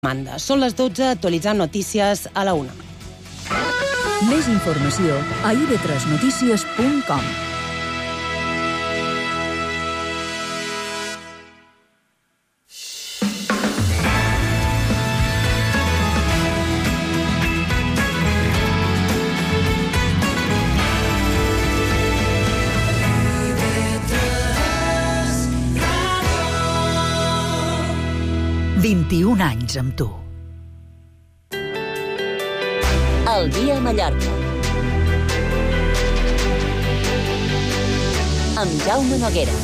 demanda. Són les 12, actualitzant notícies a la 1. Més informació a ib3notícies.com. ...21 anys amb tu. El dia a Mallorca. Amb Jaume Noguera.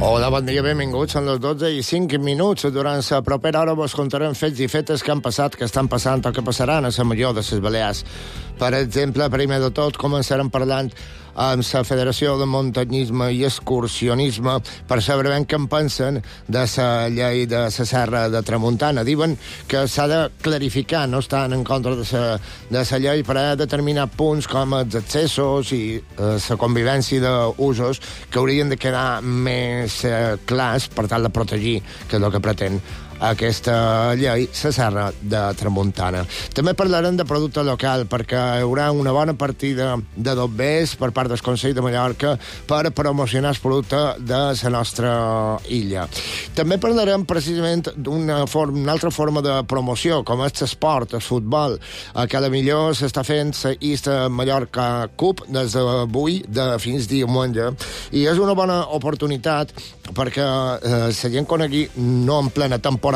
Hola, bon dia, benvinguts. Són les 12:05. Durant la propera hora vos contarem fets i fetes que han passat, que estan passant o que passaran a la major de les Balears. Per exemple, primer de tot, començarem parlant amb la Federació de Muntanyisme i Excursionisme per saber ben què en pensen de la llei de la Serra de Tramuntana. Diuen que s'ha de clarificar, no estan en contra de la llei per a determinar punts com els accessos i la convivència d'usos que haurien de quedar més clars per tal de protegir, que és el que pretén aquesta llei, la Serra de Tramuntana. També parlarem de producte local, perquè hi haurà una bona partida de dobbers per part del Consell de Mallorca per promocionar el producte de la nostra illa. També parlarem precisament d'una altra forma de promoció, com és l'esport, el futbol, que a la millor s'està fent la East Mallorca Cup des d'avui fins diumenge, i és una bona oportunitat perquè la gent conegui no en plena temporada,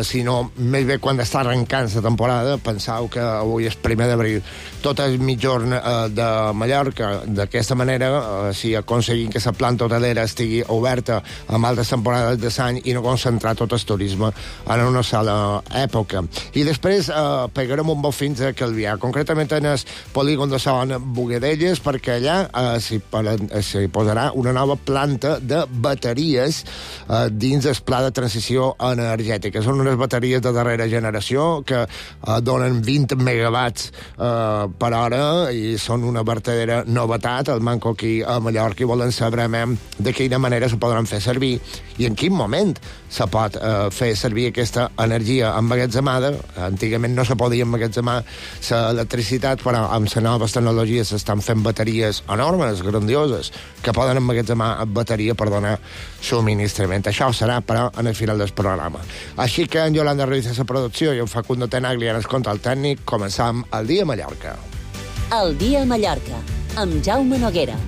sinó més bé quan està arrencant la temporada. Penseu que avui és 1 d'abril, tot el mitjorn de Mallorca. D'aquesta manera, si aconseguim que la planta hotelera estigui oberta amb altres temporades de l'any i no concentrar tot el turisme en una sola època. I després pegarem un bot fins a Calvià, concretament en el polígon de Son Bogadelles, perquè allà s'hi posarà una nova planta de bateries dins el pla de transició energètica. Són unes bateries de darrera generació que donen 20 megawatts per hora i són una vertadera novetat. El manco aquí a Mallorca i volen saber de quina manera se podran fer servir i en quin moment se pot fer servir aquesta energia emmagatzemada. Antigament no se podia emmagatzemar l'electricitat, però amb les noves tecnologies s'estan fent bateries enormes, grandioses, que poden emmagatzemar bateria per donar subministrament. Això serà, però, en el final del programa. Així que en Yolanda Ruiz a la producció i en Facundo Tenaglia en el control tècnic, començam el dia a Mallorca. El dia a Mallorca, amb Jaume Noguera.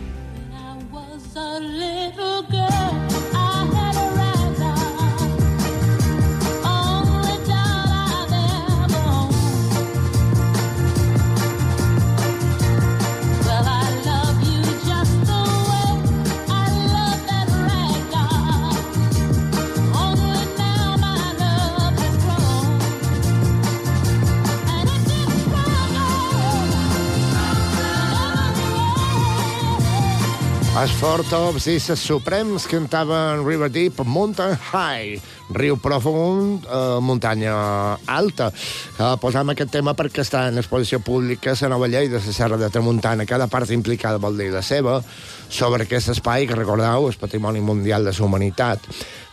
Els Four Tops i els Suprems cantaven River Deep, Mountain High, riu profund, muntanya alta. Posam aquest tema perquè està en exposició pública la nova llei de la Serra de Tramuntana. Cada part implicada vol dir la seva sobre aquest espai que, recordeu, és Patrimoni Mundial de la Humanitat.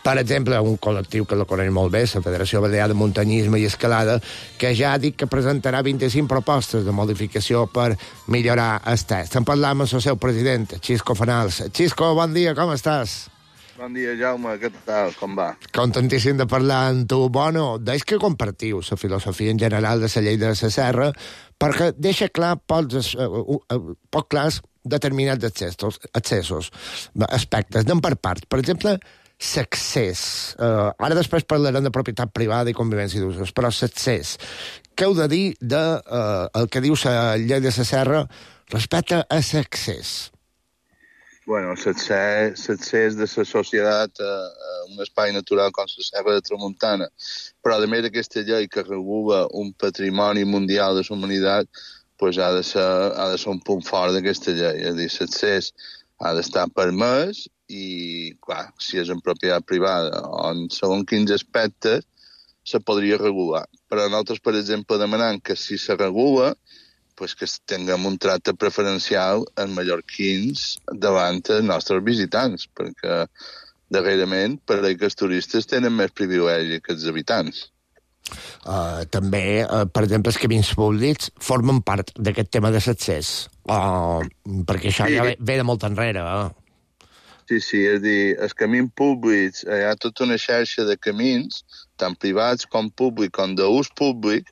Per exemple, un col·lectiu que la coneix molt bé, la Federació Balear de Muntanyisme i Escalada, que ja ha dit que presentarà 25 propostes de modificació per millorar el text. En parlam amb el seu president, Xisco Fanals. Xisco, bon dia, com estàs? Bon dia, Jaume, què tal, com va? Contentíssim de parlar amb tu. Bueno, deix que compartiu la filosofia en general de la llei de la Serra, perquè deixa clar poc clars determinats accessos, aspectes, anem per parts. Per exemple, l'accés. Ara després parlarem de propietat privada i convivència d'usos, però l'accés. Què heu de dir del que diu la llei de la Serra respecte a l'accés? Bueno, l'accés de la societat a un espai natural com la Serra de Tramuntana, però a més aquesta llei que regula un patrimoni mundial de la humanitat, pues ha de ser un punt fort d'aquesta llei. És a dir, l'accés ha d'estar permès i, clar, si és en propietat privada o en segons quins aspectes, se podria regular. Però nosaltres, per exemple, demanem que si se regula, pues que tinguem un tracte preferencial en mallorquins davant els nostres visitants, perquè darrerament pareix que els turistes tenen més privilegi que els habitants. També, per exemple, els camins públics formen part d'aquest tema de l'accés, perquè això ja ve de molt enrere. Sí, és dir, els camins públics, hi ha tota una xarxa de camins, tant privats com públics, com d'ús públic.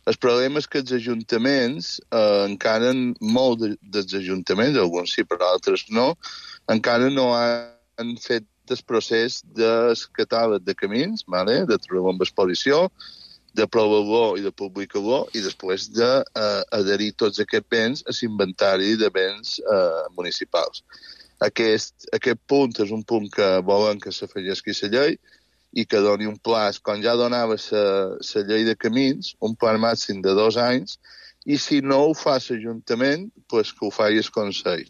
El problema és que els ajuntaments, encara molt dels ajuntaments, alguns sí, però altres no, encara no han fet el procés del catàleg de camins, vale? De trobar amb exposició, de provar-lo i de publicar-lo, i després d'adherir tots aquests béns a l'inventari de béns municipals. Aquest punt és un punt que volen que s'afegeixi a la llei i que doni un plaç, com ja donava la llei de camins, un pla màxim de 2 anys, i si no ho fa l'Ajuntament, pues que ho faci el Consell.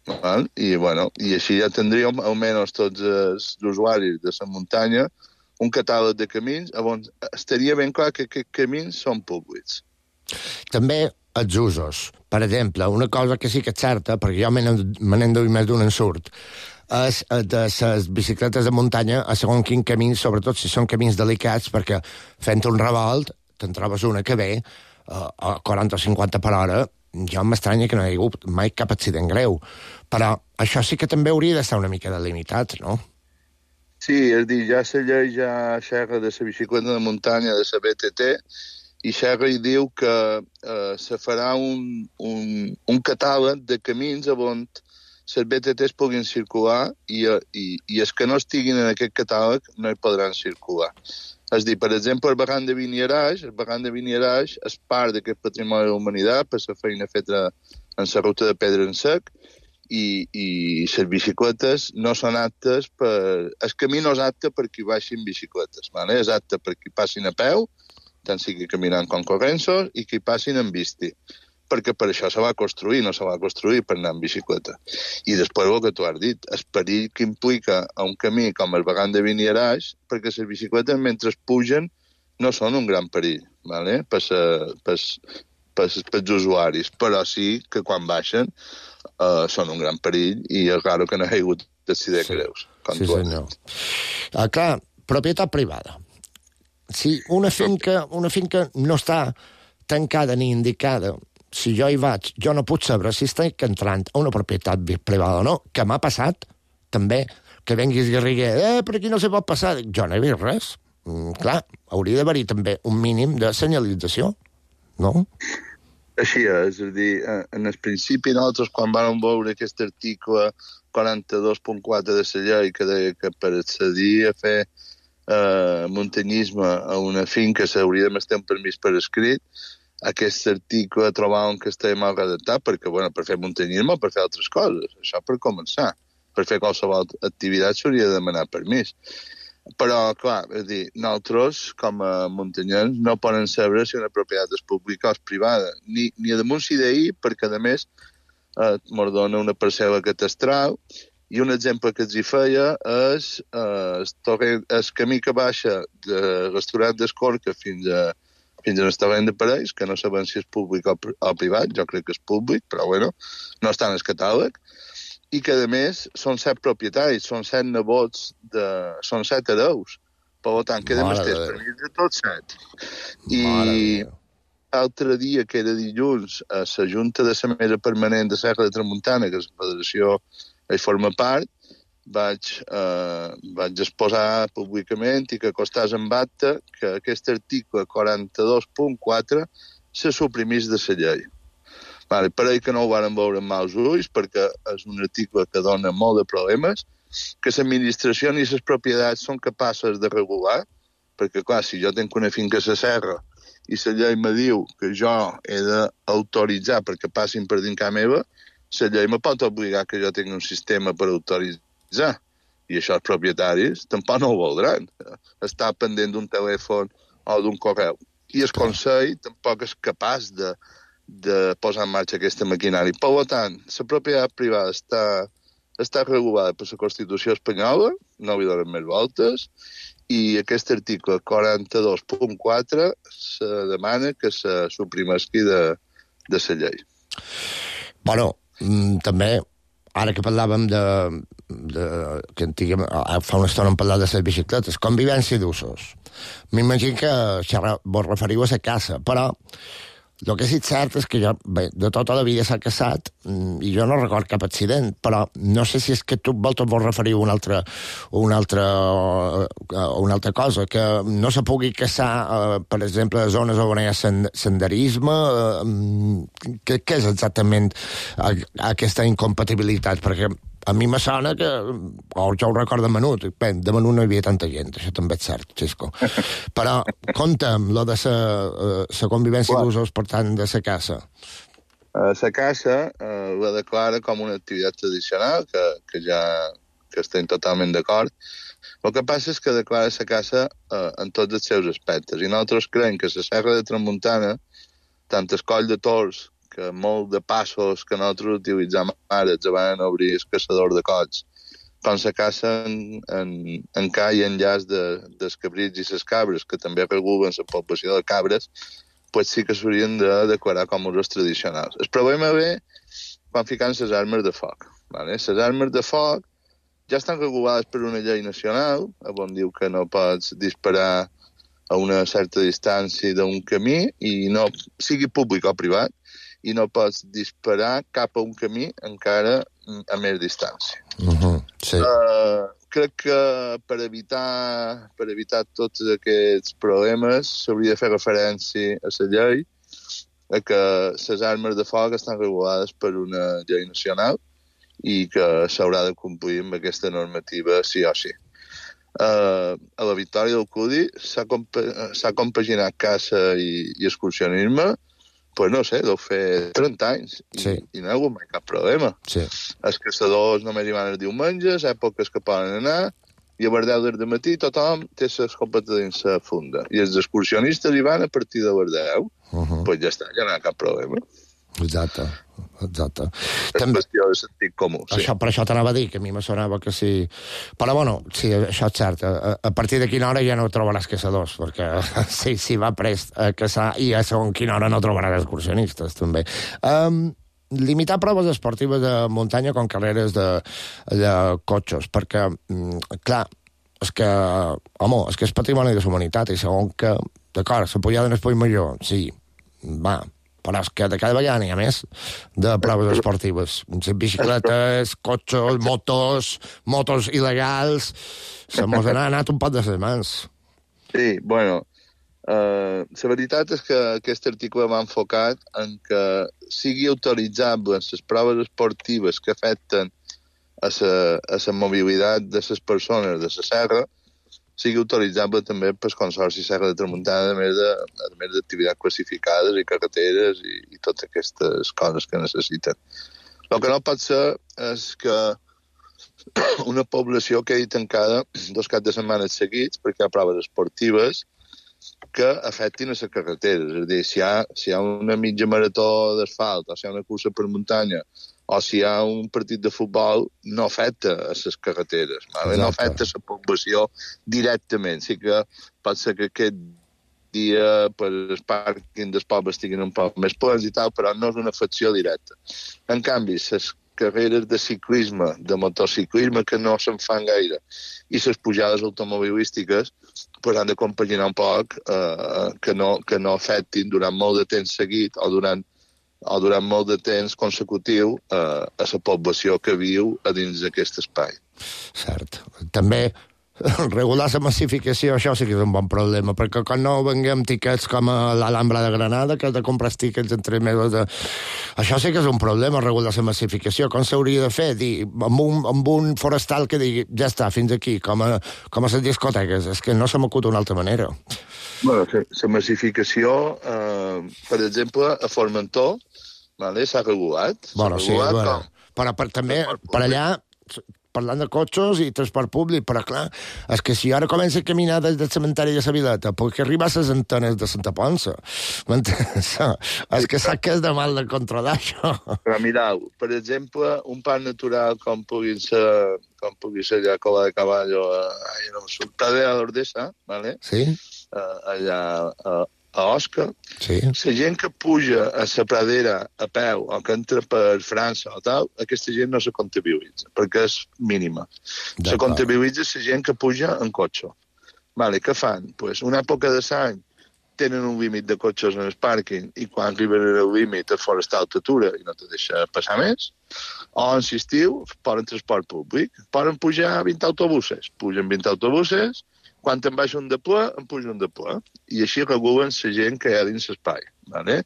I així ja tindríem, almenys tots els usuaris de la muntanya, un catàleg de camins on estaria ben clar que aquests camins són públics. També els usos. Per exemple, una cosa que sí que és certa, perquè jo me n'he enduit més d'un ensurt, és de les bicicletes de muntanya a segons quin camí, sobretot si són camins delicats, perquè fent un revolt te'n trobes una que ve a 40 o 50 per hora. Jo m'estranya que no hi ha hagut mai cap accident greu. Però això sí que també hauria d'estar una mica delimitat, no? Sí, és dir, ja la llei ja xerra de la bicicleta de muntanya, de la BTT, i xerra i diu que se farà un catàleg de camins on les BTTs puguin circular i els que no estiguin en aquest catàleg no hi podran circular. És dir, per exemple, el barranc de Vinierage és part d'aquest patrimoni de la humanitat per la feina feta en la ruta de pedra en sec, i les bicicletes no són aptes el camí no és apte per qui baixin bicicletes, vale? És apte per qui passin a peu, tant sigui caminant com corrents, i qui passin en bici, perquè per això se va construir, no se va construir per anar en bicicleta. I després el que tu has dit, el perill que implica a un camí com el barranc de Vinierage, perquè les bicicletes mentre pugen no són un gran perill, vale? Pels usuaris, però sí que quan baixen són un gran perill i és raro que no hi hagi hagut accidents greus. Sí, senyor. Clar, propietat privada. Si una finca no està tancada ni indicada, si jo hi vaig, jo no puc saber si estic entrant a una propietat privada o no, que m'ha passat també, que venguis Garriguer, per aquí no se pot passar. Jo no he vist res. Clar, hauria d'haver-hi també un mínim de senyalització, no? Així és a dir, en el principi nosaltres quan vam veure aquest article 42.4 de la llei que deia que per accedir a fer muntanyisme a una finca s'hauria de estar un permís per escrit, aquest article trobàvem que estava mal redactat perquè, per fer muntanyisme o per fer altres coses, això per començar. Per fer qualsevol activitat s'hauria de demanar permís. Però, clar, és dir, nosaltres, com a muntanyans, no poden saber si una propietat és pública o és privada, ni a damunt si d'ahir, perquè, a més, mos dona una parcel·la catastral, i un exemple que els hi feia és el camí que baixa del restaurant d'Escorca fins a l'establiment de Parells, que no sabem si és públic o privat, jo crec que és públic, però, no està en el catàleg, i que, a més, són 7 propietaris, són 7 nebots, són 7 hereus. Per tant, queda més temps per mi de tots 7. I l'altre dia, que era dilluns, a la Junta de la Mesa Permanent de Serra de Tramuntana, que la Federació hi forma part, vaig exposar públicament i que costàs en acta que aquest article 42.4 se suprimís de la llei. Pareix que no ho varen veure amb mals ulls perquè és un article que dona molt de problemes, que l'administració ni les propietats són capaces de regular, perquè, clar, si jo tinc una finca a la serra i la llei me diu que jo he d'autoritzar perquè passin per dins casa meva, la llei me pot obligar que jo tingui un sistema per autoritzar. I això els propietaris tampoc no ho voldran. Estar pendent d'un telèfon o d'un correu. I el Consell tampoc és capaç de posar en marxa aquesta maquinària. Per tant, la propietat privada està regulada per la Constitució espanyola, no li donen més voltes, i aquest article 42.4 se demana que se suprimesqui de la llei. Bueno, també, ara que parlàvem fa una estona hem parlat de les bicicletes, convivència d'usos. M'imagino que vos referiu a la casa, però el que sí cert és que jo, bé, de tota la vida s'ha casat i jo no record cap accident, però no sé si és que tu vos referiu a una altra cosa, que no se pugui casar, per exemple, a zones on hi ha senderisme. Què és exactament aquesta incompatibilitat? Perquè a mi me sona que, jo ho recordo de menut, bé, de menut no hi havia tanta gent, això també és cert, Xisco. Però conta'm lo de la convivència d'usos, per tant, de la casa. La casa la declara com una activitat tradicional, que estem totalment d'acord. El que passa és que declara la casa en tots els seus aspectes, i nosaltres creiem que la Serra de Tramuntana, tant el Coll de Tors, que molt de passos que nosaltres utilitzem ara els van obrir el caçador de colls, com la caça en ca i enllaç dels cabrits i les cabres, que també regulen la població de cabres, pues sí que s'haurien de declarar com usos tradicionals. El problema ve quan fiquen les armes de foc. ¿vale? Les armes de foc ja estan regulades per una llei nacional, on diu que no pots disparar a una certa distància d'un camí, i no sigui públic o privat, i no pots disparar cap a un camí encara a més distància. Sí. Crec que per evitar tots aquests problemes s'hauria de fer referència a la llei, a que les armes de foc estan regulades per una llei nacional i que s'haurà de complir amb aquesta normativa sí o sí. A la Victòria del Cudi s'ha compaginat caça i excursionisme. Pues no sé, deu fer 30 anys i no hi ha hagut mai cap problema. Sí. Els caçadors només hi van els diumenges, èpoques que poden anar, i a les 10 del matí tothom té les copetes dins la funda. I els excursionistes hi van a partir de les 10. Pues ja està, ja no hi ha cap problema. Exacte. És qüestió de sentit comú. Sí. Per això t'anava a dir, que a mi me sonava que sí. Però bueno, sí, això és cert. A partir de quina hora ja no trobaràs caçadors, perquè si va prest a caçar i a segons quina hora no trobaràs excursionistes, també. Limitar proves esportives de muntanya com carreres de cotxes, perquè, clar, és que és patrimoni de la humanitat, i segons que, d'acord, la pujada en Espoll Major, sí, va, però és que de cada vegada n'hi ha més de proves esportives. Bicicletes, cotxes, motos il·legals. Se mos ha anat un pot de les mans. Sí, bueno, la veritat és que aquest article va enfocat en que sigui autoritzable les proves esportives que afecten a la mobilitat de les persones de la serra, sigui autoritzable també pel Consorci Serra de Tramuntana, a més d'activitats classificades i carreteres i totes aquestes coses que necessiten. El que no pot ser és que una població quedi tancada 2 caps de setmana seguits perquè hi ha proves esportives que afectin a les carreteres. És a dir, si hi ha una mitja marató d'asfalt, o si hi ha una cursa per muntanya, o si hi ha un partit de futbol, no afecta a les carreteres, no afecta a la població directament. Sí que pot ser que aquest dia els pàrquings dels pobles estiguin un poc més plens i tal, però no és una afecció directa. En canvi, les carreres de ciclisme, de motociclisme, que no se'n fan gaire, i les pujades automobilístiques han de compaginar un poc que no afectin durant molt de temps seguit o durant molt de temps consecutiu a la població que viu a dins d'aquest espai. Cert. També regular la massificació, això sí que és un bon problema, perquè quan no venguem tiquets com a l'Alhambra de Granada, que has de comprar tiquets en 3 mesos de... Això sí que és un problema, regular la massificació. Com s'hauria de fer? Amb un forestal que digui, ja està, fins aquí, com a les discoteques. És que no se m'acut d'una altra manera. Bueno, la massificació, per exemple, a Formentor, s'ha regulat. Bueno, sí, però també per allà parlant de cotxes i transport públic, però clar, és que si ara comença a caminar des del cementeri de la Vileta, perquè arriba a les antenes de Santa Ponça. És que sap que és de mal de controlar, això. Però mireu, per exemple, un parc natural com pugui ser allà a Cola de Caballo, Pradera d'Ordesa, ¿vale? Sí. Allà a Osca, sí. La gent que puja a la pradera a peu o que entra per França o tal, aquesta gent no se comptabilitza, perquè és mínima. Se comptabilitza la gent que puja en cotxe. Vale, què fan? Pues una època de l'any tenen un límit de cotxes en el pàrquing i quan arriben al límit et forestal t'atura i no te deixa passar més. O en l'estiu poden transport públic. Poden pujar 20 autobuses. Pugen 20 autobuses. Quan te'n baixa un de ple, en puja un de ple. I així regulen la gent que hi ha dins l'espai. Vale?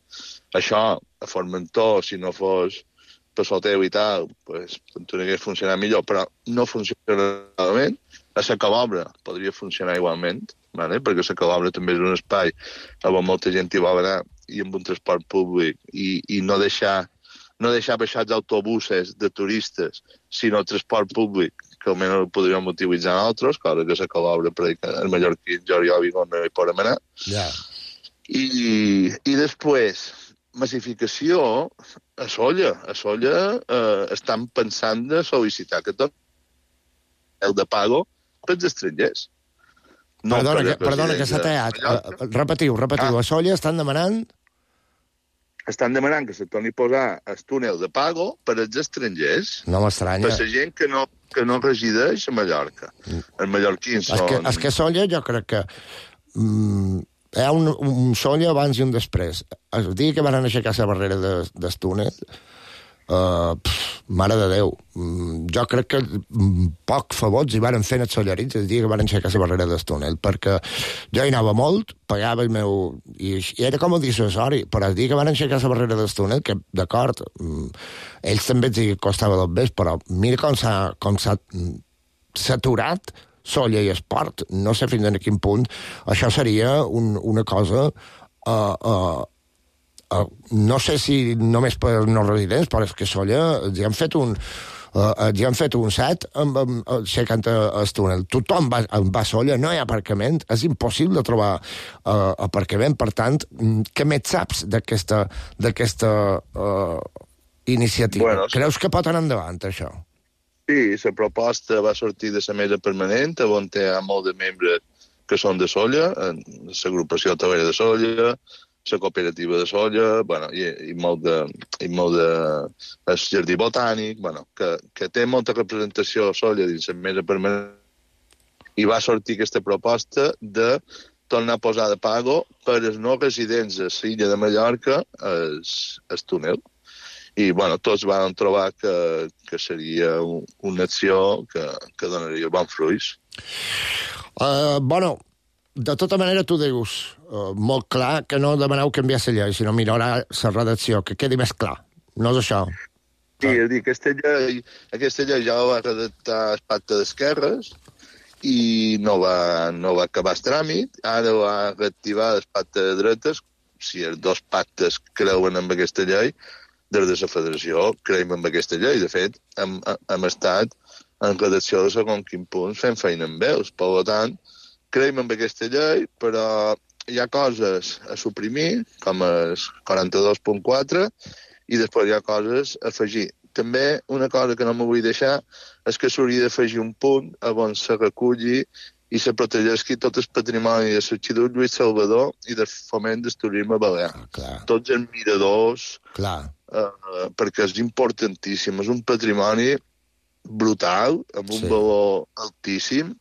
Això, a Formentor, si no fos per Soteu i tal, pues, podria funcionar millor, però no funciona malament. A la Calobra podria funcionar igualment, vale? Perquè la Calobra també és un espai on molta gent hi vol anar i amb un transport públic i no deixar baixar els autobusos de turistes, sinó el transport públic, que almenys el podríem utilitzar altres, cosa que la Calobra, perquè el mallorquí, Jordi Òvigo, no hi podem anar. Yeah. I després, massificació a Solla. A Solla estan pensant de sol·licitar que tot el de pago pels estrangers. No, perdona que s'ha tallat. Repetiu. A Solla estan demanant que se torni a posar el túnel de pago per als estrangers. No m'estranya. Per la gent que no resideix a Mallorca. Els mallorquins són... És que Solla jo crec que hi ha un Solla abans i un després. El dia que van aixecar la barrera del túnel, mare de Déu, jo crec que poc favots hi van fer els sollarits el dia que van aixecar la barrera del túnel, perquè jo hi anava molt, pagava el meu... I era com a dissuasori, però el dia que van aixecar la barrera del túnel, que d'acord, ells també els costava dos bes, però mira com s'ha saturat Solla i Esport. No sé fins a quin punt això seria una cosa... no sé si només per no residents, però és que Solla ja han fet un set aixecant el túnel. Tothom va a Solla, no hi ha aparcament, és impossible trobar aparcament. Per tant, què més saps d'aquesta iniciativa? Bueno, creus que pot anar endavant, això? Sí, la proposta va sortir de la mesa permanent, on hi ha molt de membres que són de Solla, l'agrupació hotelera de Solla, la cooperativa de Solla, bueno, i molt de el jardí botànic, bueno, que té molta representació a Solla dins la mesa permanent, i va sortir aquesta proposta de tornar a posar de pago per als no residents a l'illa de Mallorca el túnel. I, bueno, tots van trobar que seria una acció que donaria bons fruits. Bueno, de tota manera, tu dius molt clar que no demaneu canviar la llei, sinó millorar la redacció, que quedi més clar. No és això. Sí, és dir, aquesta llei ja va redactar el pacte d'esquerres i no va acabar el tràmit. Ara va reactivar el pacte de dretes. Si els dos pactes creuen en aquesta llei, des de la federació creiem en aquesta llei. De fet, hem estat en redacció de segons quin punt fent feina amb ells. Per tant, creiem en aquesta llei, però hi ha coses a suprimir, com el 42.4, i després hi ha coses a afegir. També una cosa que no m'ho vull deixar és que s'hauria d'afegir un punt on se reculli i se protegeixi tot el patrimoni de l'Arxiduc Lluís Salvador i del foment del turisme balear. Tots els miradors, perquè és importantíssim, és un patrimoni brutal, amb un valor altíssim,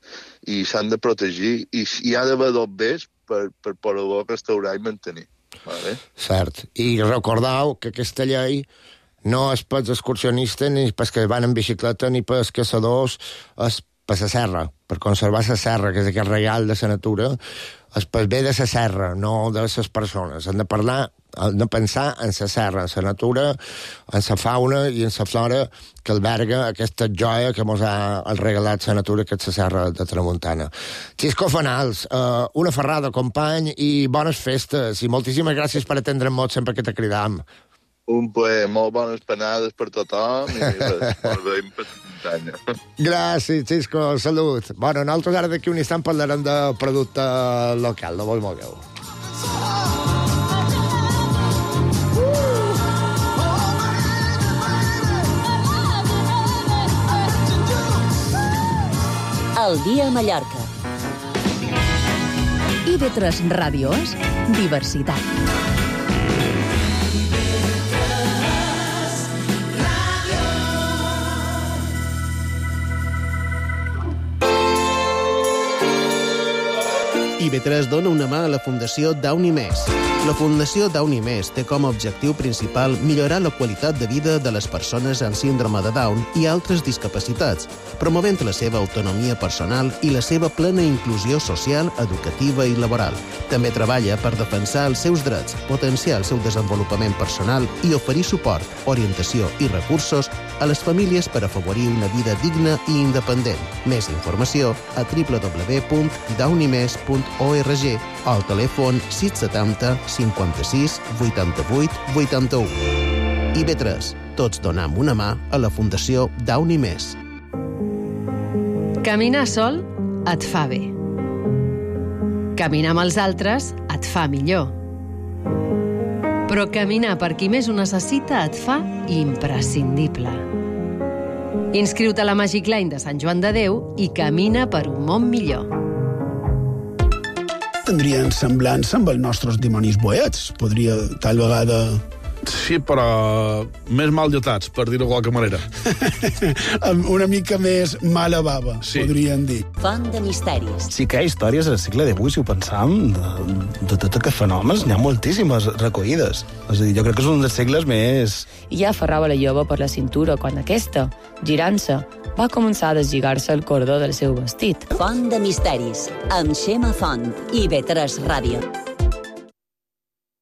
i s'han de protegir, i hi ha d'haver dos bés per poder-lo restaurar i mantenir. Vale? Cert. I recordeu que aquesta llei no és pels excursionistes, ni pels que van en bicicleta, ni pels caçadors, és per la serra, per conservar la serra, que és aquest reial de la natura, és pel bé de la serra, no de les persones. Hem de pensar en la serra, en la natura, en la fauna i en la flora que alberga aquesta joia que ens ha regalat la natura, que és la serra de Tramuntana. Xisco Fanals, una ferrada, company, i bones festes, i moltíssimes gràcies per atendre'm molt sempre que te cridam. Un plaer, molt bones panades per tothom i molt bé per la muntanya. Gràcies, Xisco, salut. Bueno, nosaltres ara d'aquí un instant parlarem de producte local, no vos mogueu. El dia a Mallorca. IB3 Ràdio és diversitat. IB3 dona una mà a la Fundació Downy Més. La Fundació Downy Més té com a objectiu principal millorar la qualitat de vida de les persones amb síndrome de Down i altres discapacitats, promovent la seva autonomia personal i la seva plena inclusió social, educativa i laboral. També treballa per defensar els seus drets, potenciar el seu desenvolupament personal i oferir suport, orientació i recursos a les famílies per afavorir una vida digna i independent. Més informació a www.downymes.org o al telèfon 670 56 88 81. IB3. Tots donam una mà a la Fundació Downy Més. Caminar sol et fa bé. Caminar amb els altres et fa millor. Però caminar per qui més ho necessita et fa imprescindible. Inscriu-te a la Magic Line de Sant Joan de Déu i camina per un món millor. Tindrien semblança amb els nostres dimonis boets. Podria, tal vegada... Sí, però més mal dotats, per dir-ho de qualque manera. Una mica més mala bava, sí. Podrien dir. Font de misteris. Sí que hi ha històries al segle XIX, si ho pensam, de tot aquests fenòmens. N'hi ha moltíssimes recollides. És a dir, jo crec que és un dels segles més... I ja aferrava la jove per la cintura quan aquesta, girant-se, va començar a deslligar-se el cordó del seu vestit. Font de misteris, amb Xema Font i IB3 Ràdio.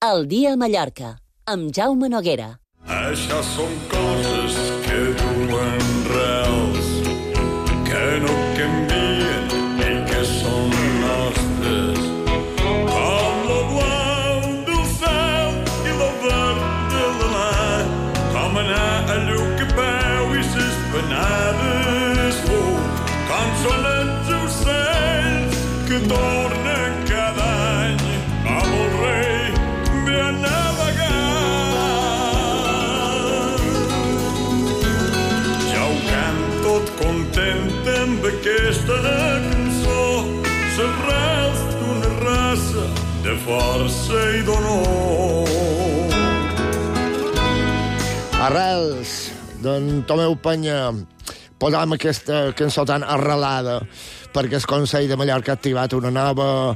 El dia a Mallorca, amb Jaume Noguera. Això són coses que duen rels, que no canvien i que són nostres, com lo blau del cel i lo verd de la mar, com anar a lluc a peu i ses penades com són els ocells que tornen cada any amb el rei ve a navegar. Ja ho cant tot content amb aquesta cançó, s'arrels d'una raça de força i d'honor. Arrels, d'en Tomeu Penya. Posam aquesta cançó tan arrelada perquè el Consell de Mallorca ha activat una nova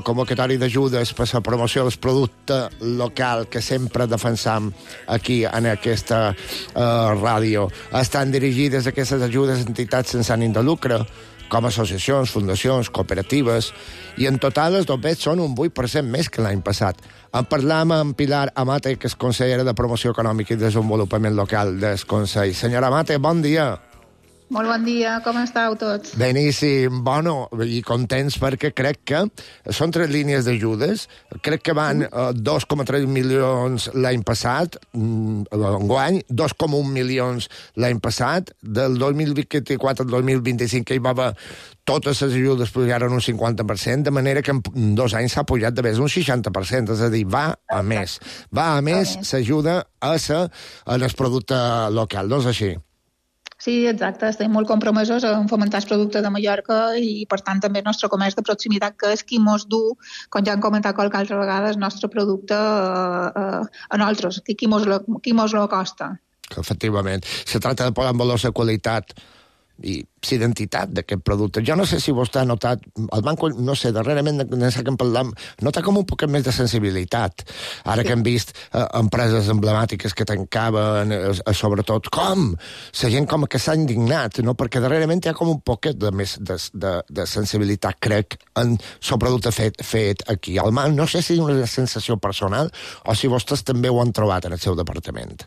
convocatòria d'ajudes per la promoció del producte local que sempre defensam aquí en aquesta ràdio. Estan dirigides aquestes ajudes a entitats sense ànim de lucre, com associacions, fundacions, cooperatives, i en total els dobets són un 8% més que l'any passat. En parlam amb Pilar Amate, que és consellera de Promoció Econòmica i Desenvolupament Local del Consell. Senyora Amate, bon dia. Molt bon dia, com estàu tots? Beníssim, bueno, i contents perquè crec que són 3 línies d'ajudes, crec que van 2,3 milions l'any passat, enguany, 2,1 milions l'any passat, del 2024 al 2025 que hi va haver totes les ajudes pujaren un 50%, de manera que en 2 anys s'ha pujat de més un 60%, és a dir, va a més. Va a més, s'ajuda a el producte local, no és així? Sí, exacte. Estem molt compromesos en fomentar el producte de Mallorca i, per tant, també el nostre comerç de proximitat, que és qui mos du, com ja hem comentat qualque altra vegada, el nostre producte a nosaltres, qui mos lo costa. Efectivament. Se tracta de posar en valor la qualitat i l'identitat d'aquest producte. Jo no sé si vostè ha notat, el banc, no sé, darrerament, que en parlam, nota com un poquet més de sensibilitat. Ara que hem vist empreses emblemàtiques que tancaven, sobretot, com? La gent com que s'ha indignat, no? Perquè darrerament hi ha com un poquet de més de sensibilitat, crec, en el producte fet aquí. No sé si és una sensació personal o si vostès també ho han trobat en el seu departament.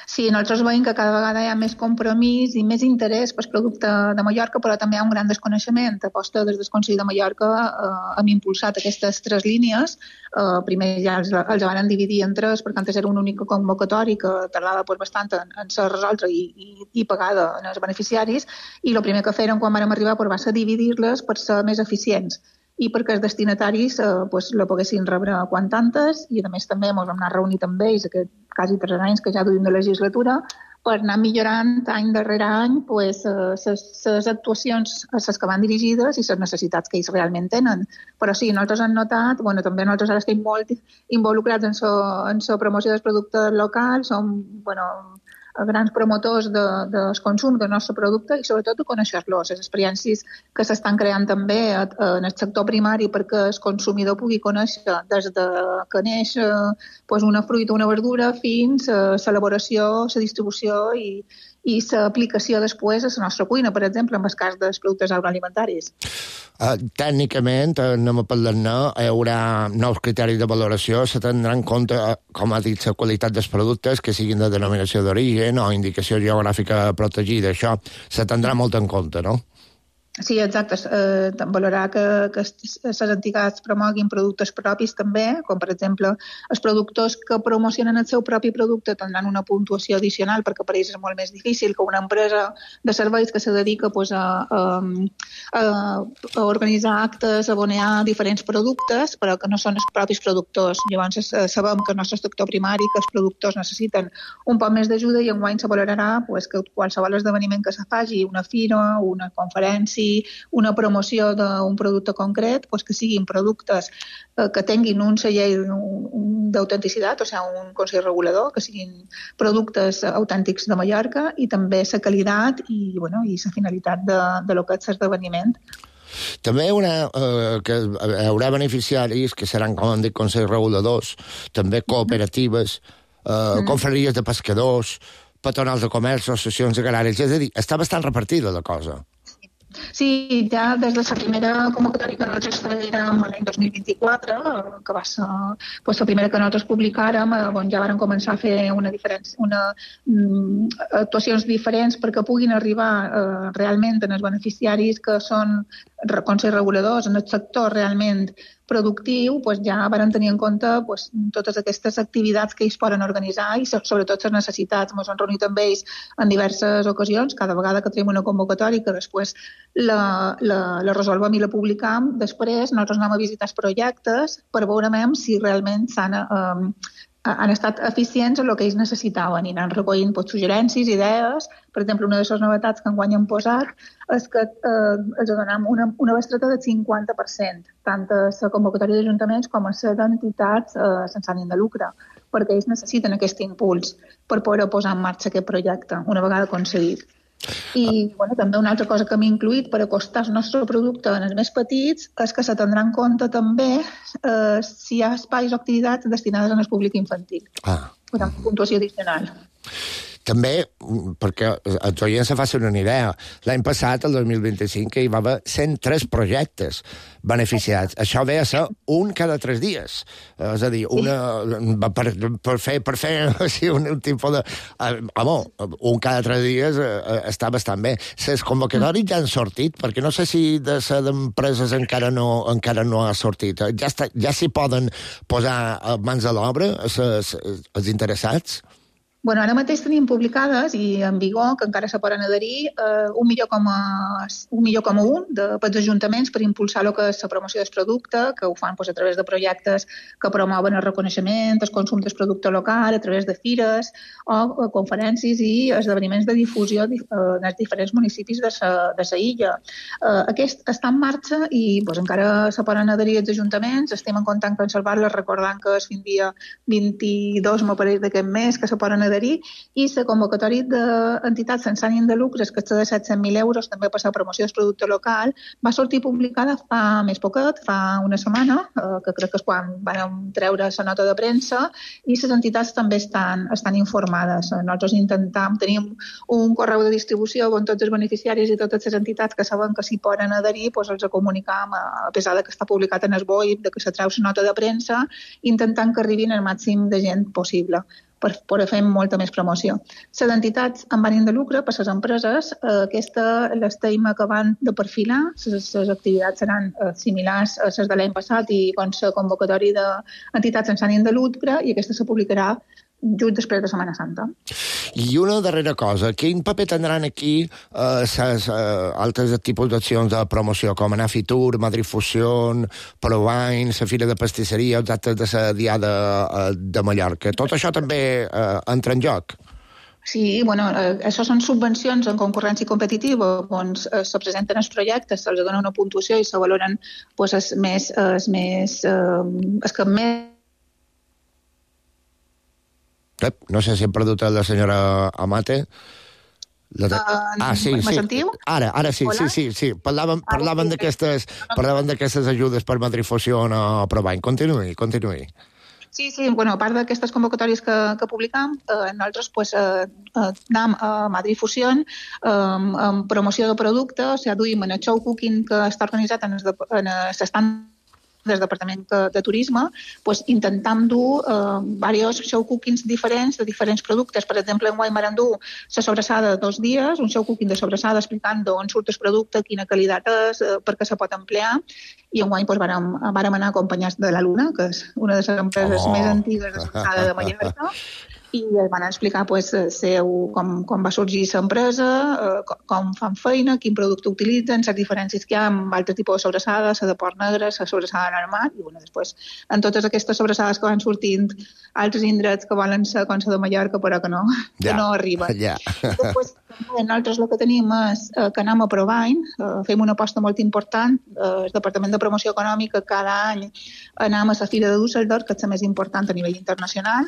Sí, nosaltres veiem que cada vegada hi ha més compromís i més interès pel producte de Mallorca, però també hi ha un gran desconeixement. Aposta des del Consell de Mallorca hem impulsat aquestes 3 línies. Primer ja els van dividir en 3, perquè antes era una única convocatòria que tardava bastant en ser resolta i pagada als beneficiaris, i el primer que feren quan vam arribar va ser dividir-les per ser més eficients i perquè els destinataris la poguessin rebre quan antes, i a més també ens vam anar reunint amb ells aquest quasi 3 anys que ja duim de legislatura per anar millorant any darrere any les actuacions a les que van dirigides i les necessitats que ells realment tenen. Però sí, nosaltres hem notat, també nosaltres ara estem molt involucrats en la promoció dels productes locals, som grans promotors del consum del nostre producte i sobretot de conèixer-los, les experiències que s'estan creant també en el sector primari perquè el consumidor pugui conèixer des de que neix una fruita o una verdura fins a l'elaboració, la distribució i l'aplicació després a la nostra cuina, per exemple, en el cas dels productes agroalimentaris. Tècnicament, anem a parlar-ne, hi haurà nous criteris de valoració, se tindrà en compte, com ha dit, la qualitat dels productes, que siguin de denominació d'origen o indicació geogràfica protegida. Això se tindrà molt en compte, no? Sí, exacte. Valorar que les entitats promoguin productes propis també, com per exemple els productors que promocionen el seu propi producte tindran una puntuació addicional perquè per ells és molt més difícil que una empresa de serveis que se dedica a organitzar actes, a abonar diferents productes, però que no són els propis productors. Llavors sabem que el nostre sector primari, que els productors necessiten un poc més d'ajuda i enguany se valorarà que qualsevol esdeveniment que se faci, una fira, una conferència, una promoció d'un producte concret, que siguin productes que tinguin un celler d'autenticitat, o sigui, un consell regulador, que siguin productes autèntics de Mallorca i també la qualitat i la finalitat de lo que és l'esdeveniment. També que hi haurà beneficiaris que seran, com han dit, consells reguladors, també cooperatives, confraries de pescadors, patronals de comerç, associacions agràries, és a dir, està bastant repartida la cosa. Sí, ja des de la primera convocatòria que nosaltres fèiem l'any 2024, que va ser la primera que nosaltres publicàrem, ja vam començar a fer actuacions diferents perquè puguin arribar realment als beneficiaris que són consells reguladors en el sector realment productiu, ja van tenir en compte totes aquestes activitats que ells poden organitzar i sobretot les necessitats. Ens hem reunit amb ells en diverses ocasions, cada vegada que tenim una convocatòria que després la resolvem i la publicam. Després nosaltres anem a visitar els projectes per veure si realment han estat eficients en el que ells necessitaven i anant recollint suggerències, idees. Per exemple, una de les novetats que enguany hem posat és que els donem una bestreta del 50%, tant a la convocatòria d'ajuntaments com a les entitats sense ànim de lucre, perquè ells necessiten aquest impuls per poder posar en marxa aquest projecte, una vegada aconseguit. I també una altra cosa que hem incluït per acostar el nostre producte als més petits és que se tindrà en compte també si hi ha espais o activitats destinades al públic infantil. Una puntuació addicional. També, perquè els oients se facin una idea, l'any passat, el 2025, que hi va haver 103 projectes beneficiats. Això ve a ser un cada 3 dies. És a dir, per fer un tipus de... un cada 3 dies està bastant bé. Les convocatòries ja han sortit, perquè no sé si de ser d'empreses encara no ha sortit. Ja s'hi poden posar mans a l'obra els interessats? Ara mateix tenim publicades i en vigor, que encara se poden adherir, 1,1 milió pels ajuntaments per impulsar el que és la promoció del producte, que ho fan a través de projectes que promouen el reconeixement, el consum del producte local, a través de fires o conferències i esdeveniments de difusió en els diferents municipis de la illa. Aquest està en marxa i encara se poden adherir els ajuntaments. Estem en contacte amb conservar-les, recordant que és fins dia 22, m'apareix d'aquest mes, que se poden adherir, i la convocatòria d'entitats sense ànim de lucre, que és de 700.000 euros, també per la promoció del producte local, va sortir publicada fa més poquet, fa una setmana, que crec que és quan vam treure la nota de premsa, i les entitats també estan informades. Nosaltres tenim un correu de distribució on tots els beneficiaris i totes les entitats que saben que s'hi poden adherir, els comunicam, a pesar que està publicat en el BOI, que se treu la nota de premsa, intentant que arribin el màxim de gent possible. per poder fer molta més promoció. Les entitats amb ànim de lucre, per les empreses, aquesta l'estem acabant de perfilar, les activitats seran similars a les de l'any passat i la convocatòria d'entitats sense ànim de lucre, i aquesta se publicarà just després de Setmana Santa. I una darrera cosa, quin paper tindran aquí altres tipus d'accions de promoció, com anar a Fitur, Madrid Fusion, Provine, la Fira de Pastisseria, els actes de la Diada de Mallorca? Tot això també entra en joc? Sí, bueno, això són subvencions en concurrència competitiva, on se presenten els projectes, se'ls dona una puntuació i se valoren els que més... No sé si hem perdut la senyora Amate. Sí. Me sentiu? Ara sí, sí. Parlaven d'aquestes ajudes per Madrid Fusion o Provine. Continuï. Sí, bueno, a part d'aquestes convocatòries que publicam, nosaltres anem a Madrid Fusion amb promoció de producte, o sigui, duim en el show cooking que està organitzat en l'estand del Departament de Turisme, intentam dur diversos show cookings diferents de diferents productes. Per exemple, enguany vam dur la sobrassada 2 dies, un show cooking de sobrassada explicant d'on surt el producte, quina qualitat és, per què se pot emplear, i enguany vàrem anar acompanyats de la Luna, que és una de les empreses més antigues de sobrassada de Mallorca, i van explicar com va sorgir l'empresa, com fan feina, quin producte utilitzen, les diferències que hi ha amb altres tipus de sobrassades, la de porc negre, la sobrassada normal, i després en totes aquestes sobrassades que van sortint altres indrets que volen ser com la de Mallorca, però que no arriben. Després, nosaltres el que tenim és que anem a Provine, fem una aposta molt important, el Departament de Promoció Econòmica cada any anem a la Fira de Düsseldorf, que és la més important a nivell internacional,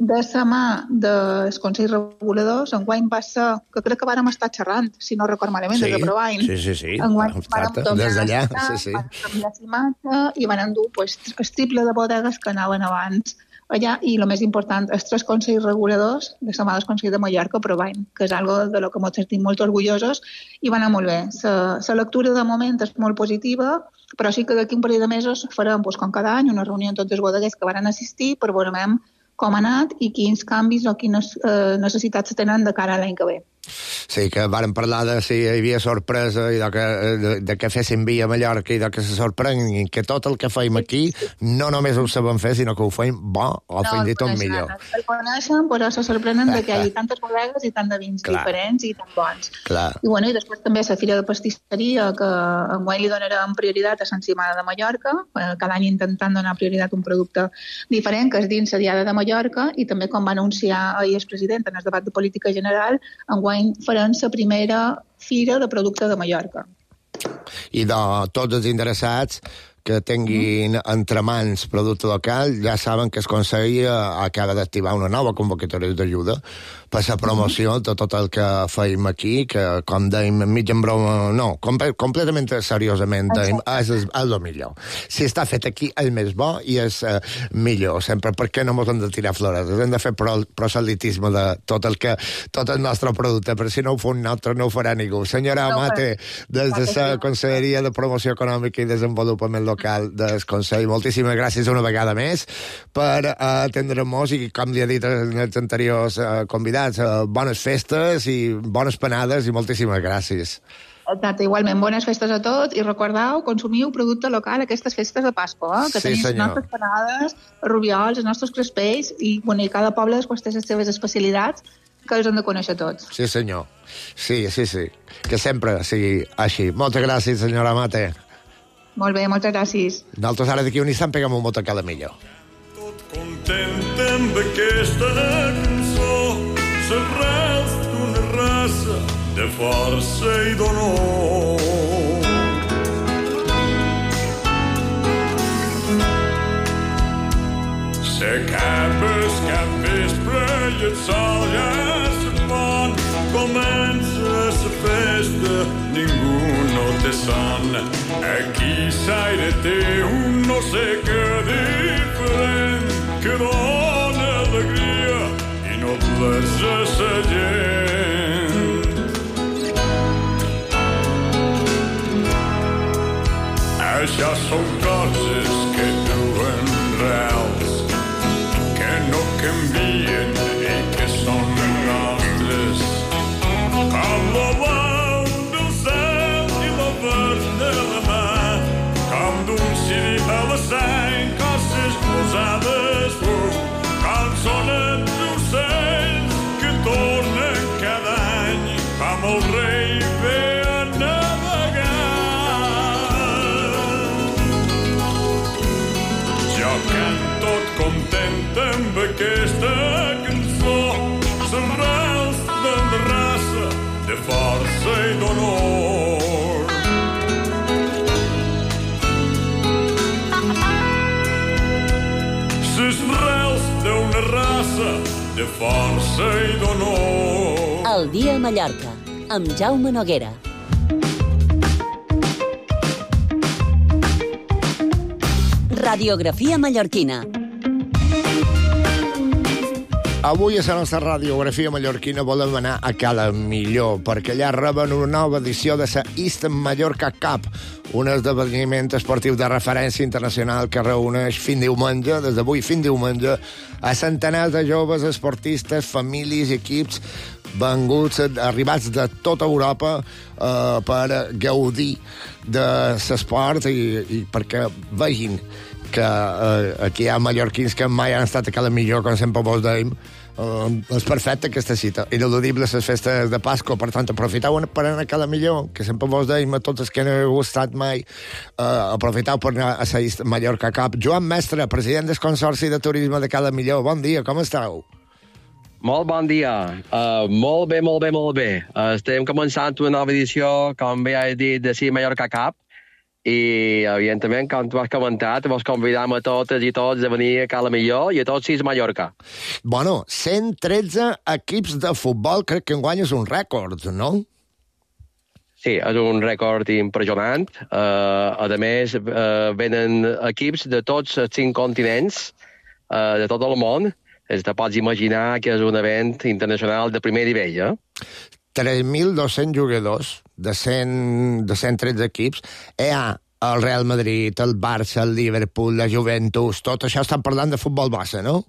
de la mà dels Consells Reguladors. Enguany va ser, que crec que vàrem estar xerrant, si no record malament, des de Provine. Sí. Enguany vàrem des d'allà, canviar l'imatge i van endur el triple de bodegues que anaven abans allà, i el més important, els 3 Consells Reguladors de la mà dels Consells de Mallorca, Provine, que és algo de lo que ens sentim molt orgullosos, i va anar molt bé. La lectura de moment és molt positiva, però sí que d'aquí un parell de mesos farem, com cada any, una reunió amb tots els bodeguers que van assistir per veure com ha anat i quins canvis o quines necessitats tenen de cara a l'any que ve. Sí, que vàrem parlar de si hi havia sorpresa i de què féssim via a Mallorca i de que se sorprenguin que tot el que feim aquí no només ho sabem fer, sinó que ho feim bo o fins i tot millor. El coneixen, però se sorprenen de que hi hagi tantes bodegues i tant de vins diferents i tan bons. I després també la Fira de Pastisseria, que enguany li donarem prioritat a Sant Simà de Mallorca, cada any intentant donar prioritat a un producte diferent, que és dins la Diada de Mallorca, i també, com va anunciar ahir el president en el debat de política general, enguany farem la primera Fira de Producte de Mallorca. I de tots els interessats que tinguin entre mans producte local, ja saben que el Consell acaba d'activar una nova convocatòria d'ajuda per la promoció de tot el que feim aquí, que, com dèiem, mig en broma, no, completament seriosament, dèiem, és el millor. Si està fet aquí, és més bo i és millor. Sempre, per què no ens hem de tirar flores? Hem de fer proselitisme de tot el nostre producte, però si no ho fa un altre, no ho farà ningú. Senyora Amate, des de la Conselleria de Promoció Econòmica i Desenvolupament Local del Consell, moltíssimes gràcies una vegada més per atendre-nos i, com li ha dit els anteriors convidats, bones festes i bones panades i moltíssimes gràcies. Exacte, igualment, bones festes a tots i recordeu, consumiu producte local aquestes festes de Pasqua, que tenim les nostres panades, rubiols, els nostres crespells i cada poble després té les seves especialitats que els hem de conèixer tots. Sí, senyor. Sí. Que sempre sigui així. Moltes gràcies, senyora Amate. Molt bé, moltes gràcies. Nosaltres ara d'aquí un instant peguem un mot a cada millor. Tot content amb aquesta cançó, s'arrels d'una raça de força i d'honor. S'acaba el capvespre i el sol ja se'n pon, comença la festa, ningú no té son. Aquí s'aire té un no sé què diferent que dona alegria i noblesa a sa gent. Això són coses que duen reals, que no canvien amb aquesta cançó s'arrels de raça, de força i d'honor. S'arrels d'una raça de força i d'honor. El dia a Mallorca, amb Jaume Noguera. Radiografia mallorquina. Avui a la nostra radiografia mallorquina volem anar a Cala Millor, perquè allà reben una nova edició de la East Mallorca Cup, un esdeveniment esportiu de referència internacional que reuneix fins diumenge, des d'avui fins diumenge, a centenars de joves esportistes, famílies i equips arribats de tota Europa per gaudir de l'esport i perquè vegin que aquí hi ha mallorquins que mai han estat a Cala Millor, com sempre vos dèiem. És perfecta aquesta cita. Ineludible les festes de Pasqua, per tant, aprofiteu per anar a Cala Millor, que sempre vos dèiem a tots els que no heu estat mai, aprofiteu per anar a la Mallorca Cup. Joan Mestre, president del Consorci de Turisme de Cala Millor, bon dia, com esteu? Molt bon dia. Molt bé. Estem començant una nova edició, com bé has dit, de la Mallorca Cup, i, evidentment, com tu has comentat, vos convidam a totes i tots a venir a Cala Millor i a tots 6 Mallorca. Bueno, 113 equips de futbol, crec que enguany és un rècord, no? Sí, és un rècord impressionant. A més, venen equips de tots els 5 continents, de tot el món. Te pots imaginar que és un event internacional de primer nivell, 3.200 jugadors de 113 equips. Hi ha el Real Madrid, el Barça, el Liverpool, la Juventus, tot això estan parlant de futbol base, no?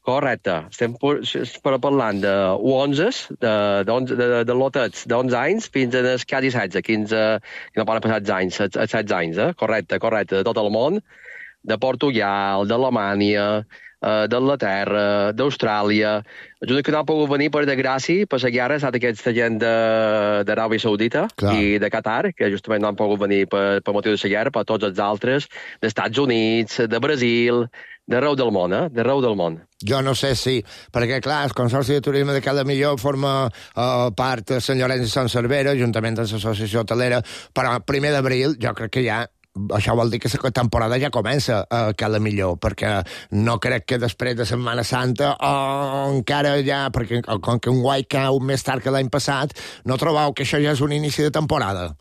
Correcte. Estem parlant de U11, de lotets d'11 anys fins als quasi 16, 15, que no poden passar 16 anys, correcte, de tot el món, de Portugal, d'Alemanya, d'Anglaterra, d'Austràlia. És una que no ha pogut venir, per desgràcia, per la guerra, ha estat aquesta gent d'Aràbia Saudita i de Qatar, que justament no han pogut venir per motiu de la guerra, però tots els altres, dels Estats Units, de Brasil, d'arreu del món, d'arreu del món. Jo no sé si, perquè clar, el Consorci de Turisme de Cala Millor forma part de Sant Llorenç i Sant Cervera, juntament amb l'Associació Hotelera, però el 1 d'abril jo crec que ja això vol dir que la temporada ja comença a Cala Millor, perquè no crec que després de Setmana Santa o encara ja, perquè com que un guai cau més tard que l'any passat, no trobeu que això ja és un inici de temporada?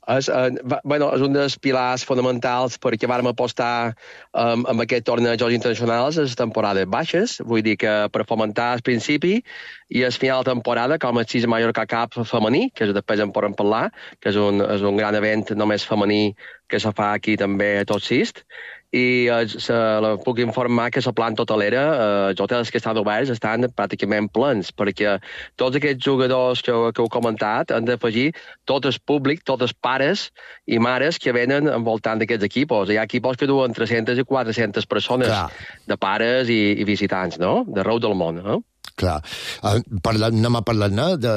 És un dels pilars fonamentals perquè vàrem apostar amb aquest tornejos internacionals a les temporades baixes, vull dir que per fomentar el principi i el final de temporada, com el 6 Mallorca Cup femení, que després en podem parlar, que és un gran event només femení que se fa aquí també a tots 6, i puc informar que la planta hotelera, els hotels que estan oberts estan pràcticament plens, perquè tots aquests jugadors que heu comentat han d'afegir tot el públic, tots els pares i mares que venen envoltant d'aquests equipos. Hi ha equipos que duen 300 i 400 persones de pares i visitants, no?, d'arreu del món, Clar, anem a parlar de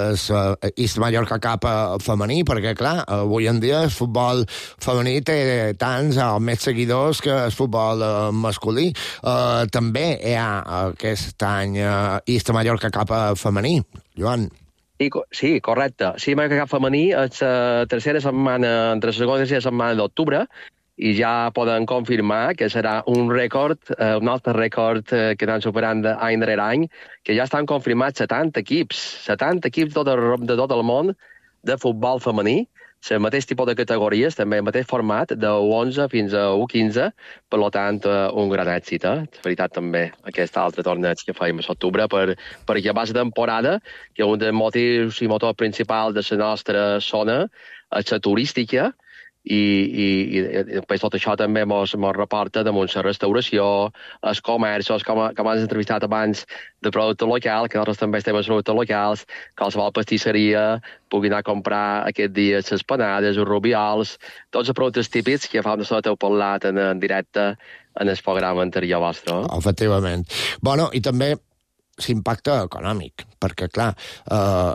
East Mallorca Cup femení, perquè, clar, avui en dia el futbol femení té tants o més seguidors que el futbol masculí. També hi ha aquest any East Mallorca Cup femení, Joan. Sí, correcte. Sí, Mallorca Cup femení és la tercera setmana, entre la segona i la tercera setmana d'octubre, i ja poden confirmar que serà un rècord, un altre rècord que estan superant any darrere any, que ja estan confirmats 70 equips de tot el món de futbol femení, el mateix tipus de categories, també el mateix format, de U11 fins a U15, per tant, un gran èxit. És veritat, també, aquest altre torneig que fèiem a l'octubre, perquè a base de temporada, que un dels motius i motor principal de la nostra zona és la turística, i després tot això també mos reporta damunt la restauració, els comerços, com has entrevistat abans, de producte local, que nosaltres també estem en productes locals, qualsevol pastisseria pugui anar a comprar aquest dia les panades, els rubiols, tots els productes típics que fa una estona heu parlat en directe en el programa anterior vostre. Efectivament. Bueno, i també l'impacte econòmic, perquè, clar,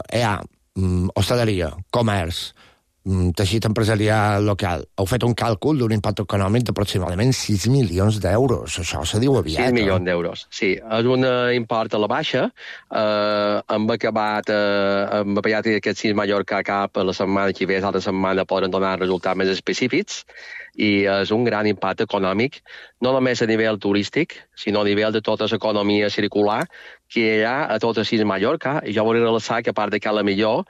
hi ha hostaleria, comerç, teixit empresarial local, heu fet un càlcul d'un impacte econòmic d'aproximadament 6 milions d'euros. Això se diu aviat. 6 milions d'euros, sí. És un import a la baixa. Hem acabat aquest 6 Mallorca cap la setmana que ve, l'altra setmana poden donar resultats més específics, i és un gran impacte econòmic, no només a nivell turístic, sinó a nivell de tota l'economia circular que hi ha a tot el 6 Mallorca. I jo volia relaxar que a part de Cala Millor,